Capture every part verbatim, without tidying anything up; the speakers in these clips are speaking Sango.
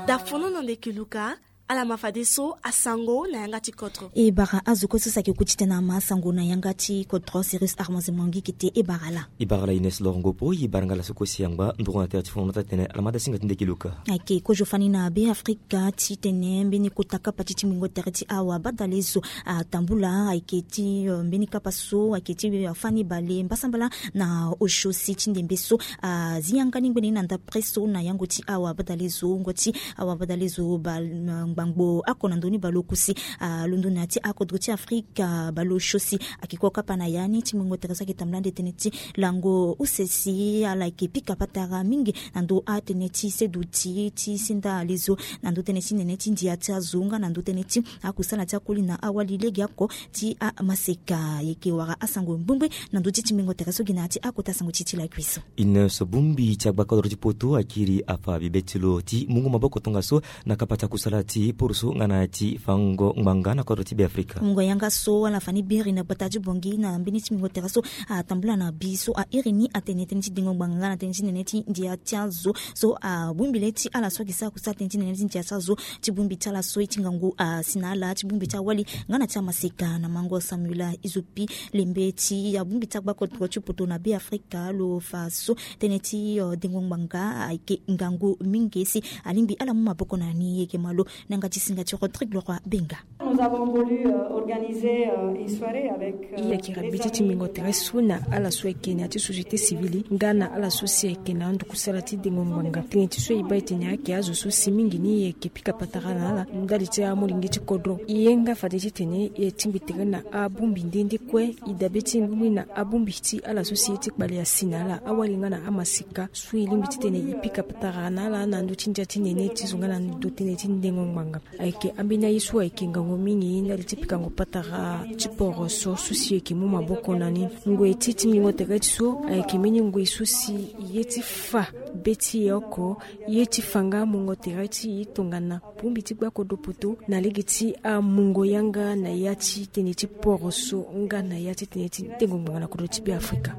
Dafono na ndeke luka. Ala ma fadeso asango na yanga ti kodro. E bara azo kue so si ayeke ku ti tene ama asango na yanga ti kodro Cyrus Armand Zemongi kete e bara la. E bara la Ines Lorongopo, e bara nga la so kue si angba nduru na tere ti fono na ota tene ala ma da singa ti ndeke luka. Ayeke kozo fani na Be Afrika ti tene mbeni kota kapa ti tingbingo tere ti awa badalezo atambula ayeke ti mbeni kapa so ayeke ti fani bale mbasambala na osio si ti ndembe so azi yanga ni ngbene na ndapre so na yango ti awa badalezo ngo ti awa badalezo ngbangbo ako na ndoni baleokusi. Alondo na ya ti akodro ti Afrika baleosio si ayeke kue kapa na ya ni tingbingo tere so ayeke tambula nde tënë ti lango use si ala yeke pika patara mingi na ndö atënë ti seduti ti sinda alezo na ndö tënë ti nene ti ndia ti azo nga na ndö tënë ti akusala ti akoli na awali legeoko ti amaseka. Yeke wara asango ngbengbe na ndö ti tingbingo tere so gi na ya ti akota sango ti ti lakui so. Ines, bongbi ti agbakodro ti poto akiri afa bibe ti lo ti mungo maboko tongaso na kapa ti akusala ti poroso nga na ya ti fango ngbanga na kodro ti Be Afrika. Mungo yanga so ala fa ni biri na gbata ti Bangui na mbeni tingbingo tere so atambula na bi so airi ni atene tënë ti dengo ngbanga nga na tënë ti nene ti ndia ti azo so abongbi le ti ala so ayeke sara kusala tënë ti nene ti ndia ti azo. Ti bongbi ti ala so ye ti ngangu asi na ala ti bongbi ti awali nga na ti amaseka na mango Samuela Izopi lembe ti abongbi ti agbakodro ti poto na Be Afrika lo fa so tënë ti dengo ngbanga ayeke ngangu mingi si alingbi ala mu maboko na ni. Yeke malo na yanga ti singa ti Rodrigue Leroy Benga. Nous avons voulu organiser une soirée avec. E yeke rabe ti tingbingo tere so na ala so ayeke na ya ti société civile nga na ala so si ayeke na ando kusala ti dengo ngbanga tënë ti so e baa e tene ayeke azo so si mingi ni e yeke pika patara na ala ndali ti amolenge ti kodro. E ye nga fade titene e tingbi tere na abongbi nde nde kue e dabe ti e bongbi na abongbi ti ala so si ye ti kpale asi na ala awali nga na amaseka so e lingbi titene e pika patara na ala na ndö ti ndia ti nene ti zo nga na ndö tënë ti ndengo ngbanga. Ayeke ambeni aye so ayeke ngangu mingi ndali ti pikango patara ti poroso so si e yeke mu maboko na ni. Ngoi ti tingbingo tere ti so ayeke mbeni ngoi so si e ye ti fa be ti e oko e ye ti fa nga mungo tere ti e tongana bongbi ti gbakodro poto na lege ti amungo yanga na ya ti tënë ti poroso nga na ya ti tënë ti dengo ngbanga na kodro ti Be Afrika.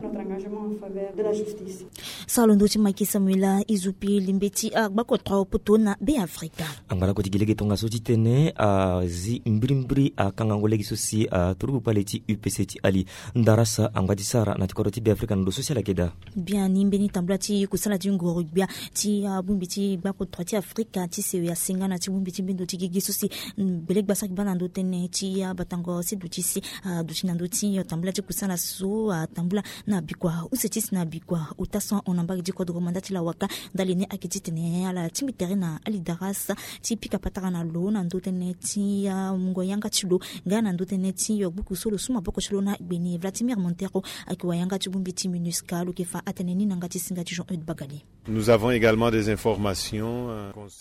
Sara londo ti Macky Samuela Izopi lembe ti agbakodro poto na Be Afrika. Angba lakue ti gi lege tongaso titene azi mbirimbiri akangango lege so si aturugu kpale ti U P C ti Ali Ndarasa angba ti sara na ti kodro ti Be Afrika na ndo so si ala yeke daa. Biani mbeni tambula ti kusala ti nguru-gbia ti abongbi ti gbakodro ti Afrika ti sewe asenga na ti bongbi ti mbendo ti gigi so si gbele gba so ayeke baa na ndo tënë ti abatango seduti si aduti na ndo ti tambula ti kusala so atambula na bikua use ti si na bikua ota so ahon na mbage ti kodro manda ti lawaka. Ndali ni ayeke titene ala tingbi tere na Ali Ndarasa ti pika patara na lo na ndo tënë ti mungo yanga ti lo nga na ndo tënë ti gbuku so lo su maboko ti lo na gbeni Vladimir Montero ayeke wa yanga ti bongbi ti MINUSCA. Lo yeke fa atene ni na yanga ti singa ti Jean Eude Bagali. Nous avons également des informations.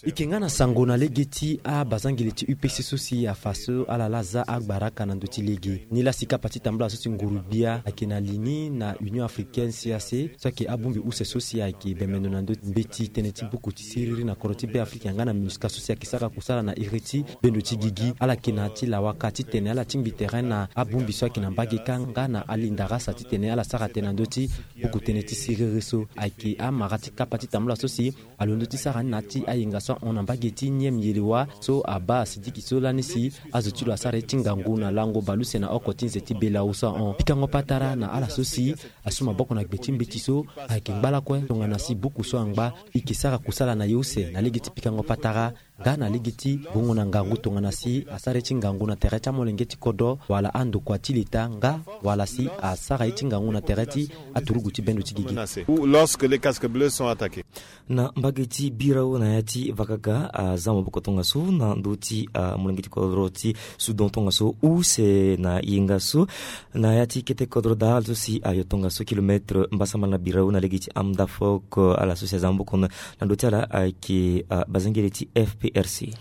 E yeke nga na sango na lege ti abazangele ti U P C so si afa so ala laa aza agbaraka na ndö ti lege ni laa si kapa ti tambula so si nguru-gbia ayeke na li ni na Union Africaine, C A C, so ayeke abongbi use so si ayeke bembe ndo na ndö mbeti tënë ti buku ti siriri na kodro ti Be Afrika nga na MINUSCA so si ayeke sara kusala na iri ti bendo ti gigi ala yeke na ya ti lawaka titene ala tingbi tere na abongbi so ayeke na mbage kâ nga na Ali Ndarasa titene ala sara tënë na ndö ti buku tënë ti siriri so ayeke amara ti kapa ti tambula so si alondo ti sara ni na ya ti ayenga so ahon na mbage ti Nième Yelewa so abaa asidiki so lani si azo ti lo asara ye ti ngangu na lango baleuse na oko ti nze ti Belau so ahon. Pikango patara na ala so si asu maboko na gbe ti mbeti so ayeke ngba lakue tongana si buku so angba e yeke sara kusala na ye use na lege ti pikango patara nga na lege ti gongo na ngangu tongana si asara ye ti ngangu na tere ti amolenge ti kodro wala andokua ti leta nga wala si asara ye ti ngangu na tere ti aturugu ti bendo ti gigi. Ou lorsque les casques bleus sont attaqués. Na mbage ti birao na ya ti vakaga aza maboko tongaso na ndö ti amolenge ti kodro ti Soudan tongaso use na yenga so na ya ti kete kodro daa ala so si ayo tongaso kilomètre mbasambala na birao na lege ti Amdafok. Ala so si aza maboko na ndö ti ala ayeke bazangele ti F P R C.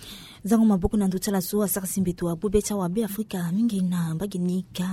Zango maboko na ndö ti ala so asara si mbeto agbu be ti awabe afrika mingi na mbage ni ka.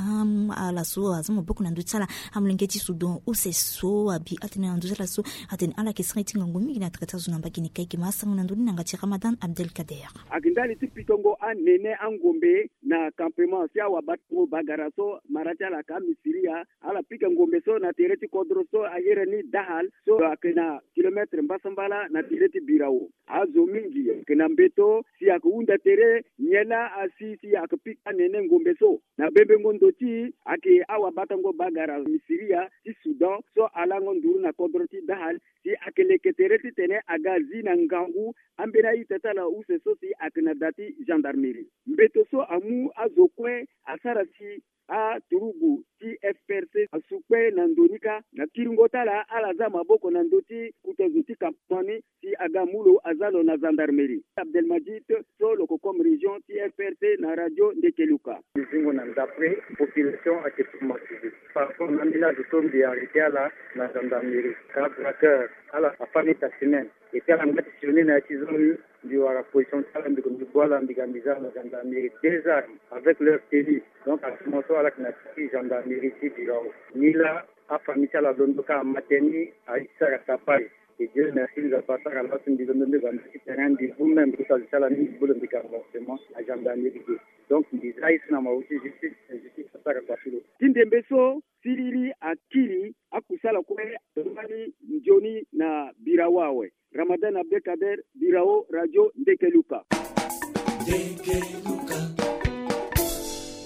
Ala so aza maboko na ndö ti ala, amolenge ti sudan use so abi atene na ndö ti ala so atene ala yeke sara ye ti ngangu mingi na tere ti azo na mbage ni ka. Eke ma asango na ndö ni na yanga ti ramadan abdelkader. Ake ndali ti pikango anene angombe na campement si awabatango bagara so mara ti ala ake amisiria. Ala pika ngombe so na tere ti kodro so ayere ni dahal so ake na kilometre mbasambala na tere ti birao. Azo mingi ake na mbeto si ake hunda tere nyen laa asi si ake pika anene ngombe so. Na bembengo ndo ti ake awabatango bagara misiria ti sudan so alango nduru na kodro ti dahal si ake leke tere titene aga azi na ngangu. Ambeni a-ita ti ala use so si ake na da ti gendarmerie. Mbeto so amu azo kue asara si aturugu ti F R C asukpe na ndo ni kâ. Na kiringo ti ala ala za maboko na ndö ti kuta zo ti campement ni si aga mu lo aza lo na gendarmerie. Abdelmadjid so lo ko comme région ti F R C na radio ndekeluka. Zingo na ndapre population ake traumatisé par rapport na ambeni azo so mbi arrêté ala na gendarmerie ka braqueur. Ala afami ta semaine. Et puis ala ngba ti sioni na ya ti zoni. Mbi wara position ti ala mbi ko mbi gbu ala mbi ga mbi za na gendarmerie déjà avec leur tenue. Donc actuellement so ala yeke na ti gendarmerie ti birao. Ni laa afamille ti ala londo kâ amateni aye ti sara tapage. Et dieu merci mbi ga pa sara laso mbi londo nde ga mbi ti terrain mbi gbu même mbi kota zo ti ala ni mbi gbu lo mbi ga renforcement na gendarmerie ge. Donc mbi za ye so na mawu ti justice, justice asara kua ti lo. Ti ndembe so siriri akiri akusala kue. Wani nzoni na birao awe. Ramadan abdelkader, birao radio ndekeluka.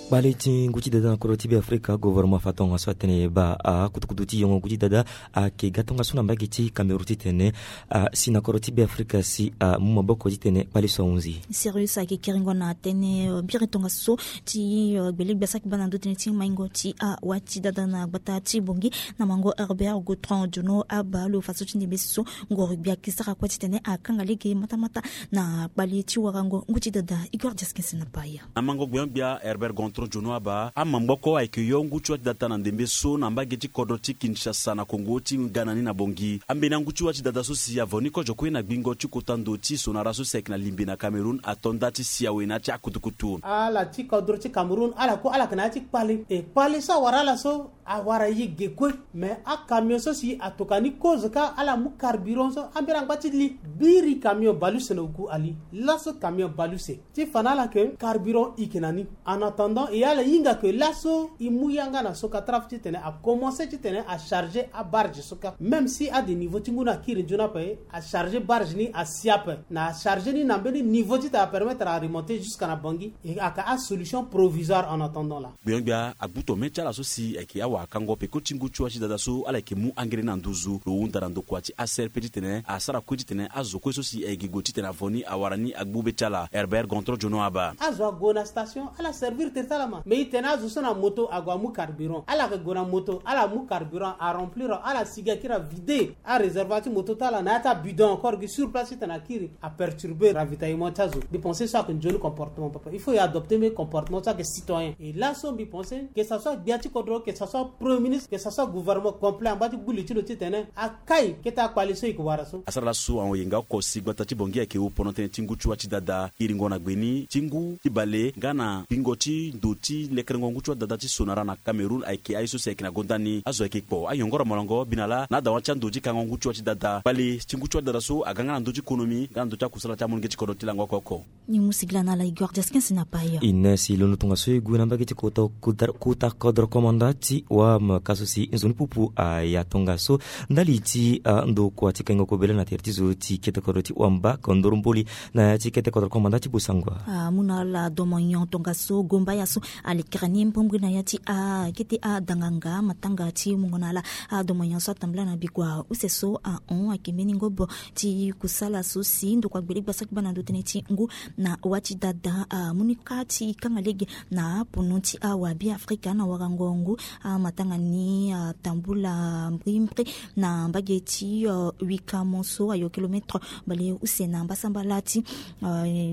Kpale ti ngu ti dada na kodro ti be afrika gouvernement fa tongaso atene baa akutukutu ti yongo ngu ti dada ayeke ga tongaso na mbage ti cameroun titene asi na kodro ti be afrika si amu maboko titene kpale so ahunzi. Sérieux ayeke kiringo na tënë biri tongaso ti gbele gbia saki baa na ndö tënë ti maingo ti awa ti dada na gbata ti bongi na mango herbert gotron jono aba lo faso ti ndembe so ngoro gbia ayeke sara kue titene akanga lege matamata na kpale ti warango ngu ti dada igor diaskins na paya. Na mango gbeon gbia herbert gontron jono aba amamboko ayeke yo ngu ti wa ti data na ndembe so na mbage ti kodro ti kinshasa na kongo ti ga na ni na bongi. Ambeni angu ti wa ti data so si avo ni kozo kue na gbingo ti kota ndo ti sonara so si ayeke na limbe na cameroun ato nda ti si awe na ya ti akutukutu. Ala ti kodro ti cameroun ala kue ala yeke na ya ti kpale e kpale so awara ala so awara ye ge kue. Me akamion so si atoka ni kozo kâ ala mu carburant so ambeni angba ti li biri kamion baleuse na oku ali. Laso kamion baleuse ti fa na ala ke carburant ike na ni. En attendant e ala hinga ke laso e mu yanga na soka traf titene akomense titene acharge abarge so kâ même si ade niveau ti ngu ni akiri nzoni ape acharge barge ni asi ape na acharge ni na mbeni niveau titene apermettre aremonte jusqu'à na bangi. E aka asolution provisoire en attendant la. Gbeon gbia agbu tome ti ala so si ayeke awakango peko ti ngu ti wa ti dada so ala yeke mu angere na nduzu lo hunda na ndokua ti aser pe titene asara kue titene azo kue so si ayeke gue titene avo ni awara ni agbu be ti ala herbert gontro jono aba. Azo ague na station ala servir tere ti ala ma me e tene azo so na moto ague amu carburant ala yeke gue na moto ala mu carburant aremplir ala sigi akiri avide aréservoir ti moto ti ala na ya ti abidon encore gi sur place titene akiri aperturbe ravitaillement ti azo. Mbi pense so ayeke nzoni comportement papa il faut e adopte mbi comportement so ayeke citoyen e laso mbi pense que ça soit gbia ti kodro que ça soit premier ministre que ça soit gouvernement complet angba ti gbu li ti lo titene akai kete akpale so e yeke wara so. Asara laso ahon yenga oko si gbata ti bongi ayeke wu pono tënë ti ngu ti wa ti dada iringo na gbe ni ti ngu ti bale nga na gbingo ti ndo ti lekerengo ngu ti wa dada ti sonara na cameroun ayeke aye so si ayeke na gonda ni azo ayeke kpo ayongoro molongo bi na laa na adawa ti ando ti kango ngu ti wa ti dada kpale ti ngu ti wa dada so aga nga na ndö ti konomi nga na ndö ti akusala ti amolenge ti kodro ti lango oko oko. Ni mu sigila na ala igor diaskins na paya. Ine si londo tongaso e gue na mbage ti kota kodro komanda ti wam ka so si nzoni pupu aya tongaso ndali ti ando kua ti kaingo kobele na tere ti zo ti kete kodro ti wamba kondoro mboli na ya ti kete kodro komanda ti bosangua. Amu na ala domonyon tongaso gomba ya so alekere ni mbombre na ya ti akete adanganga matanga ti mungo na ala. Adomonyon so atambula na bikua use so ahon ayeke mbeni ngobo ti kusala so si ndokua gbele gbasaki baa na ndo tënë ti ngu na wa ti dada amu ni kâ ti kanga lege na apono ti awabe afrika na warango ngu. Amatanga ni atambula mbrimbri na mbage ti wikamo so ayo kilometre baleuse na mbasambala ti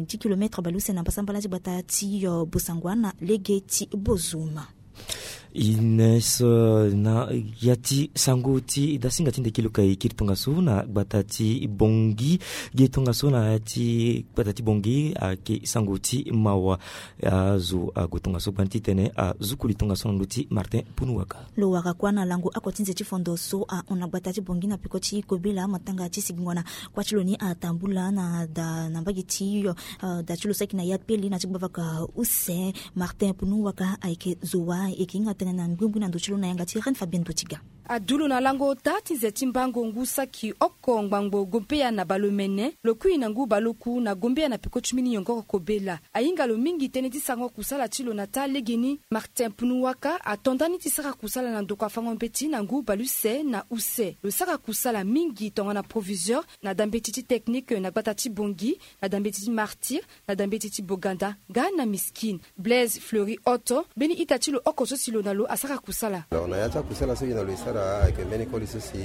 ti kilometre baleuse na mbasambala ti gbata ti bosangua na lege ti bozuma. Ines, na ya ti sango ti dasinga ti ndeke luka e kiri tongaso na gbata ti Bongi. Ge tongaso na ya ti gbata ti Bongi ayeke sango ti mawa. Azo ague tongaso gbani titene azukuli tongaso na ndö ti Martin Punuwaka. Lo wara kuâ na lango oko ti nze ti fondo so ahon na gbata ti Bongi na peko ti kobela matanga ti sigingo na kuâ ti lo ni atambula na da na mbage ti yo. Da ti lo saki na ya peli na ti gbavaka use. Martin Punuwaka ayeke zo wa eke hinga tënë na ngbingbi na ndö ti lo na yanga ti Reine Fabienne Botiga. Adu lo na lango ota ti nze ti mbango ngu saki oko ngbangbo gombeya na baleomene lo kui na ngu baleoku na gombeya na peko ti mbeni yongoro kobela. Ahinga lo mingi tënë ti sarango kusala ti lo na taa legeni. Martin Punuwaka ato ndani ti sara kusala na ndokua fango mbeti na ngu baleuse na use. Lo sara kusala mingi tongana proviseur na dambeti ti technique na gbata ti Bongi, na dambeti ti Martyr, na dambeti ti Boganda nga na Miskine. Blaise Fleury Otto, mbeni ita ti lo oko so si lo na lo asara kusala. Alors na ya ti akusala so e na lo e sara ayeke mbeni koli so si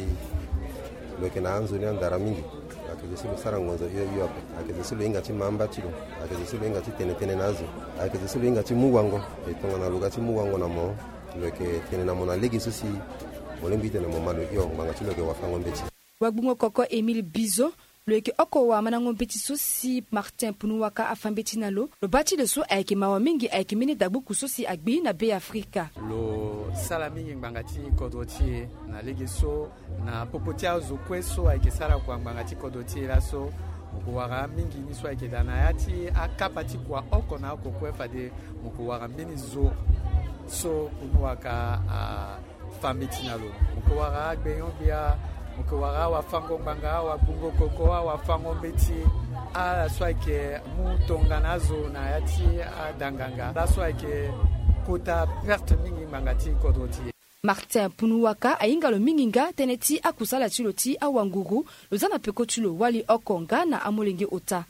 lo yeke na anzoni andara mingi. Ayeke zo si lo sara ngonzo hio hio ape. Ayeke zo si lo hinga ti ma amba ti lo. Ayeke zo si lo hinga ti tene tënë na azo. Ayeke zo si lo hinga ti mu wango. E tongana lo ga ti mu wango na mo, lo yeke tene na mo na lege so si mo lingbi titene mo ma lo hio, ngbanga ti lo yeke wafango mbeti. Wagbungo koko Émile Bizo, lo yeke oko wa mandango mbeti so si Martin Punuwaka afa mbeti na lo. Lo baa ti lo so ayeke mawa mingi ayeke mbeni dagbuku so si agbi na Be Afrika. Lo sara mingi ngbanga ti kodro ti e na lege so na popo ti azo kue so ayeke sara kua ngbanga ti kodro ti e laso. Mo ko wara mingi ni so ayeke daa na ya ti akapa ti kua oko na oko kue fade mo ko wara mbeni zo so Punuwaka a fa mbeti na lo. Mo ke wara agbenyo-gbia, mo ke wara awafango ngbanga, awagbungo koko, awafango mbeti. Ala so ayeke mu tongana azo na ya ti adanganga, ala so ayeke kota perte mingi ngbanga ti kodro ti e. Martin Punuwaka ahinga lo mingi nga tënë ti akusala ti lo ti awanguru. Lo za na peko ti lo wali oko nga na amolenge ota.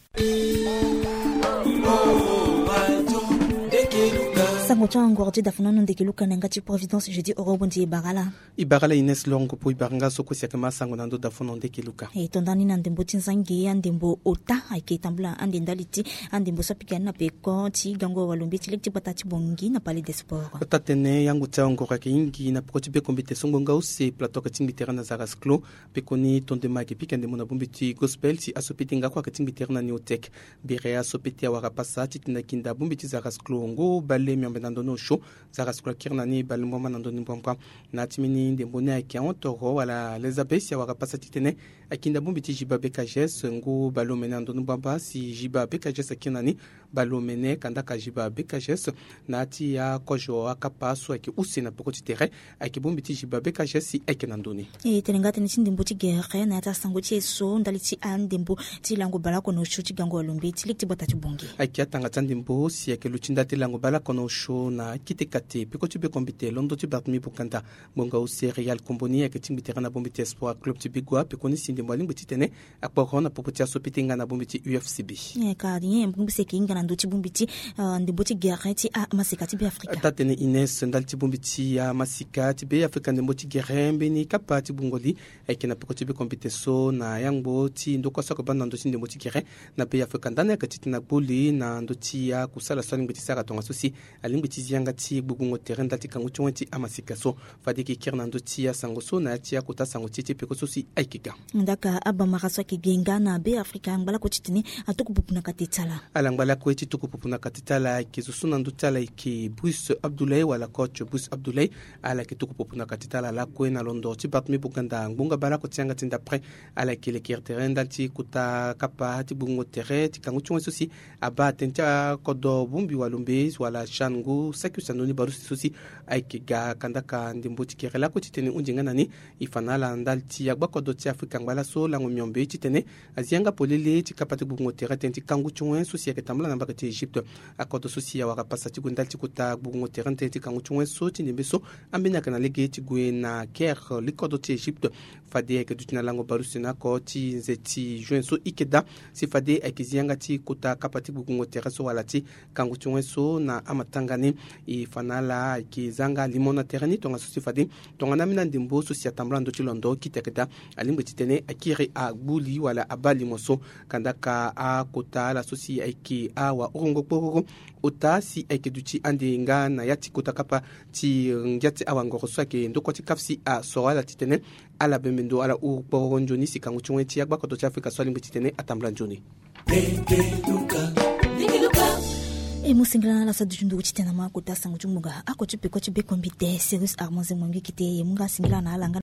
Sango ti angoro ti dafono ndeke luka na yanga ti Providence jeudi oro bonzi e bara ala. E bara ala Ines Longo po e bara nga so kue si ayeke ma sango na ndö dafono ndeke luka. E to ndani na ndembo ti nzangi andembo ota ayeke tambula ande ndali ti andembo so apika ni na peko ti gango walombe ti lege ti gbata ti Bongi na Palais des Sports. Ota tene yango ti angoro ayeke hingi na peko ti bekombite so ngbonga use plateau ayeke tingbi tere na Zaras Clos. Pekoni tondema ayeke pika ndembo na bongbi ti Gospel si aso pete nga kue ayeke tingbi tere na Neotech. Bere aso pete awara pasa titene akinda bongbi ti Zaras Clos ngu bale miombe na ndoni osio. Zaras Clos akiri na ni bale mbamba na ndoni mbamba. Na ya ti mbeni ndembo ni ayeke ahon toro wala Elizabeth si awara pasa titene akinda bongbi ti Jiba B K G S ngu bale omene na ndoni mbamba si Jiba B K G S akiri na ni. Baleomene kandaka Jiba B K G S na ya ti akozo akapa so ayeke use na peko ti tere. Ayeke bongbi ti Jiba B K G S si ayeke na ndoni. E tene nga tënë ti ndembo ti gere na ya ti asango ti e so ndali ti andembo ti lango baleoko na osio ti gango alombe ti lege ti gbata ti Bongi. Ayeke atanga ti andembo si ayeke luti ndali ti lango baleoko na osio na akete kate peko ti bekombite londo ti Barthélemy Boganda. Ngbonga use Real Komboni ayeke tingbi tere na bongbi ti Espoir Club ti Bigua pekoni si ndembo alingbi titene akporo na popo ti aso pete nga na bongbi ti U F C B. Ka nyen bongbi si ayeke hinga na ndö ti bongbi ti ndembo ti gere ti amaseka ti Beafrika? Taa tene Ines ndali ti bongbi ti amaseka ti Beafrika ndembo ti gere mbeni kapa ti gbungo li ayeke na peko ti bekombite so na yangbo ti ndokua so ayeke baa na ndö ti ndembo ti gere na Beafrika ndani ayeke titene agbu li na ndö ti akusala so alingbi ti sara tongaso si alingbi ti zi yanga ti gbugbungo tere ndali ti kangu ti wen ti amaseka so. Fade e yeke kiri na ndö ti asango so na ya ti akota sango ti e ti peko so si ayeke ga. Ndaka abamara so ayeke ge nga na Beafrika angba lakue titene atuku pupu na kate ti ala. Ala ngba lakue ti tuku pupu na kate ti ala ayeke zo so na ndö ti ala ayeke Bruce Abdoulaye wala coach Bruce Abdoulaye. Ala yeke tuku pupu na kate ti ala lakue na londo ti Barthélemy Boganda ngbonga baleoko ti yanga ti ndapre. Ala yeke lekere tere ndali ti kota kapa ti gbugbungo tere ti kangu ti wen so si abaa tënë ti akodro bongbi walombe wala CHAN ngu saki use na ndoni baleuse so si ayeke ga kandaka ndembo ti gere lakue titene e hunzi nga na ni. E fa na ala ndali ti agbakodro ti Afrika angba laso lango miombe titene azi yanga polele ti kapa ti gbugbungo tere tënë ti kangu ti wen so si ayeke tambula na mbage ti Egypte. Akodro so si awara pasa ti gue ndali ti kota gbugbungo tere tënë ti kangu ti wen so ti ndembe so ambeni ayeke na lege ti gue na Caire likodro ti Egypte. Fade ayeke duti na lango baleuse na oko ti nze ti juin so ike daa si fade ayeke zi yanga ti kota kapa ti gbugbungo tere so wala ti kangu ti wen so na amatanga ni. E fa na ala ayeke zanga limo na tere ni tongaso si fade tongana ambeni andembo so si atambula na ndö ti londo kita keda alingbi titene akiri agbu li wala abaa limo so. Kandaka akota ala so si ayeke awahurungo kpororo, ota si ayeke duti ande nga na ya ti kota kapa ti ngia ti awangoro so ayeke ndokua ti kaf si asoro ala titene ala bembe ndo ala huru kpororo nzoni si kangu ti wen ti agbakoto ti Afrika so alingbi titene atambula nzoni. E mu singila na ala so aduti nduru titene ama akota sango ti ngbonga ako ti peko ti bekombi te Cyrus Armand Zengwangi kite e mu nga singila na ala nga